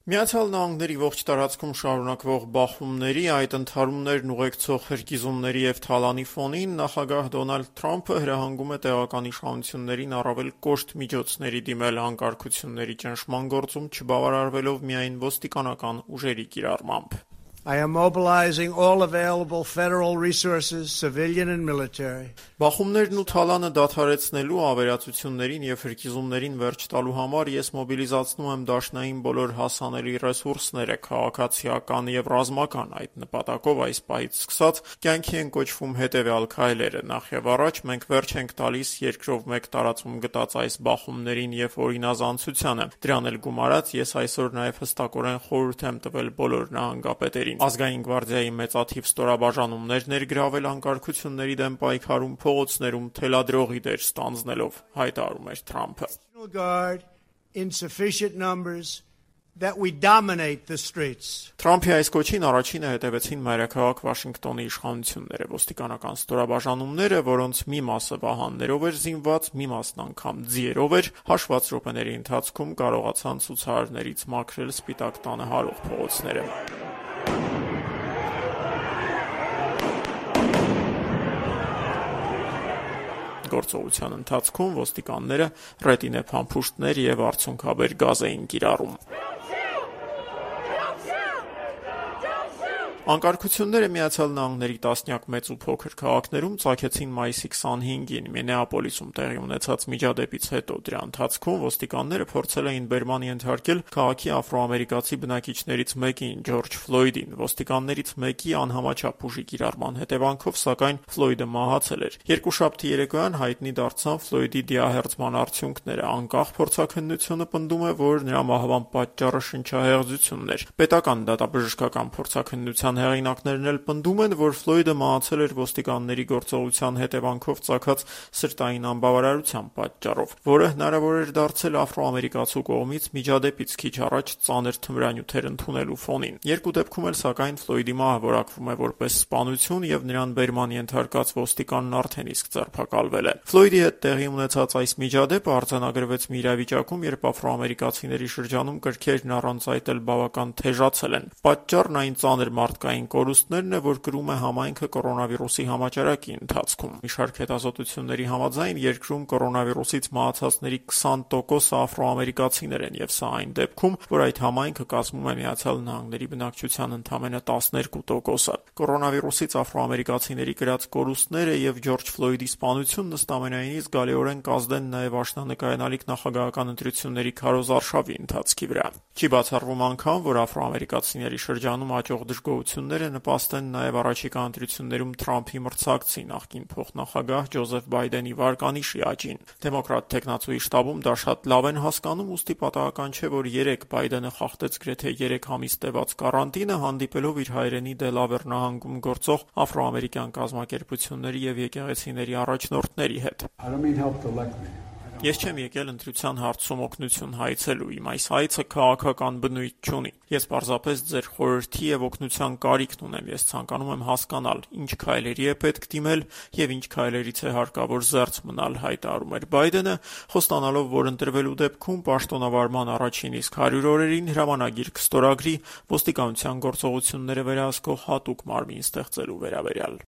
Միացյալ Նահանգների ողջ տարածքում շարունակվող բախումների, այդ ընդհարումներն ուղեկցող հրկիզումների և թալանի ֆոնին նախագահ Դոնալդ Թրամփը հրահանգում է տեղական իշխանություններին առավել կոշտ միջոցների դիմել անկարգությունների ճնշման գործում, չբավարարվելով միայն ոստիկանական ուժերի կիրառմամբ։ I am mobilizing all available federal resources, civilian and military. Բախումներն ու թալանը դադարեցնելու, ավերածություններին և հրկիզումներին վերջ տալու համար ես մոբիլիզացնում եմ դաշնային բոլոր հասանելի ռեսուրսները, քաղաքացիական և ռազմական, այդ նպատակով այս պահից սկսած կյանքի են կոչվում հետևյալ քայլերը. Նախ և առաջ մենք վերջ ենք տալիս երկրով մեկ տարածում գտած այս բախումներին և օրինազանցությանը, դրան էլ գումարած ես այսօր նաև հստակորեն խորհուրդ եմ տվել բոլոր նահանգապետերին Ազգային գվարդիայի մեծաթիվ ստորաբաժանումներ ներգրավել անկարգությունների դեմ պայքարում, փողոցներում թելադրողի դեր ստանձնելով, հայտարարում էր Թրամփը։ Թրամփի այս կոչին առաջինը հետևեցին մայրաքաղաք Վաշինգտոնի իշխանությունները, ոստիկանական ստորաբաժանումները, որոնց մի մասը վահաններով էր զինված, մի մասն անգամ ձիերով էր, հաշված րոպեների ընթացքում կարողացան ցուցարարներից մաքրել Սպիտակ տանը հարող փողոցները։ Գործողության ընթացքում ոստիկանները ռետինե փամփուշտներ և արցունքաբեր գազ էին կիրառում։ Անկարգությունները Միացյալ Նահանգների տասնյակ մեծ ու փոքր քաղաքներում ծագեցին մայիսի 25-ին Մինեապոլիսում տեղի ունեցած միջադեպից հետո։ Դրա ընթացքում ոստիկանները փորձել էին բերման ենթարկել քաղաքի աֆրոամերիկացի բնակիչներից մեկին՝ Ջորջ Ֆլոյդին։ Ոստիկաններից մեկի անհամաչափ ուժի կիրառման հետևանքով, սակայն, Ֆլոյդը մահացել էր։ Երկուշաբթի երեկոյան հայտնի դարձան Ֆլոյդի դիահերձման արդյունքները։ Անկախ փորձաքննությունը պնդում է, որ նրա մահվան պատճառը շնչահեղձությունն էր։ Պետական դատաբժշկական փորձաքննության հեղինակներն էլ պնդում են, որ Ֆլոյդը մահացել էր ոստիկանների գործողության հետևանքով ծագած սրտային անբավարարության պատճառով, որը հնարավոր էր դարձել աֆրոամերիկացու կողմից միջադեպից քիչ առաջ ծանր թմրանյութեր ընդունելու ֆոնին։ Երկու դեպքում էլ, սակայն, Ֆլոյդի մահը որակվում է որպես սպանություն և նրան բերման ենթարկած ոստիկանն արդեն իսկ ձերբակալվել է։ Ֆլոյդի հետ տեղի ունեցած այս միջադեպը արձանագրվեց մի իրավիճակում, երբ աֆրոամերիկացիների շրջանում կրքերն առանց այդ էլ բավական թեժացել են։ Պատճառն այն ծանր մարդկային կորուստներն է, որ կրում է համայնքը կորոնավիրուսի համաճարակի ընթացքում։ Մի շարք հետազոտությունների համաձայն երկրում կորոնավիրուսից մահացածների 20%-ը աֆրոամերիկացիներ են, և սա այն դեպքում, որ այդ համայնքը կազմում է Միացյալ Նահանգների բնակչության ընդամենը 12%-ը։ Կորոնավիրուսից աֆրոամերիկացիների կրած կորուստները և Ջորջ Ֆլոյդի սպանությունն ըստամենայնիվ զգալիորեն կազդեն նաև աշնանկայանալիք նախագահական ընտրությունների քարոզարշավի ընթացքի վրա։ Չի բացառվում անգամ, որ աֆրոամերիկացիների շրջանում աճող դժգոհությունները նպաստեն նաև առաջիկա ընտրություններում Թրամփի մրցակցի նախկին փոխնախագահ Ջոզեֆ Բայդենի վարկանիշի աճին։ Դեմոկրատ թեկնածուի շտաբում դա շատ լավ են հասկանում, ուստի պատահական չէ, որ երեկ Բայդենը խախտեց գրեթե 3 ամիս տևած կարանտինը, հանդիպելով իր հայրենի Դելավեր նահանգում գործող աֆրոամերիկյան կազմակերպությունների և եկեղեցիների առաջնորդների հետ։ Ես չեմ եկել ընտրության հարցում օգնություն հայցելու, իմ այս հայցը քաղաքական բնույթ չունի։ Ես պարզապես ձեր խորհրդի և օգնության կարիքն ունեմ։ Ես ցանկանում եմ հասկանալ, ինչ քայլերի է պետք դիմել և ինչ քայլերից է հարկավոր զերծ մնալ, հայտարարում էր Բայդենը, խոստանալով, որ ընտրվելու դեպքում պաշտոնավարման առաջին իսկ 100 օրերին հրամանագիր կստորագրի ոստիկանության գործողությունները վերահսկող հատուկ մարմին ստեղծելու վերաբերյալ։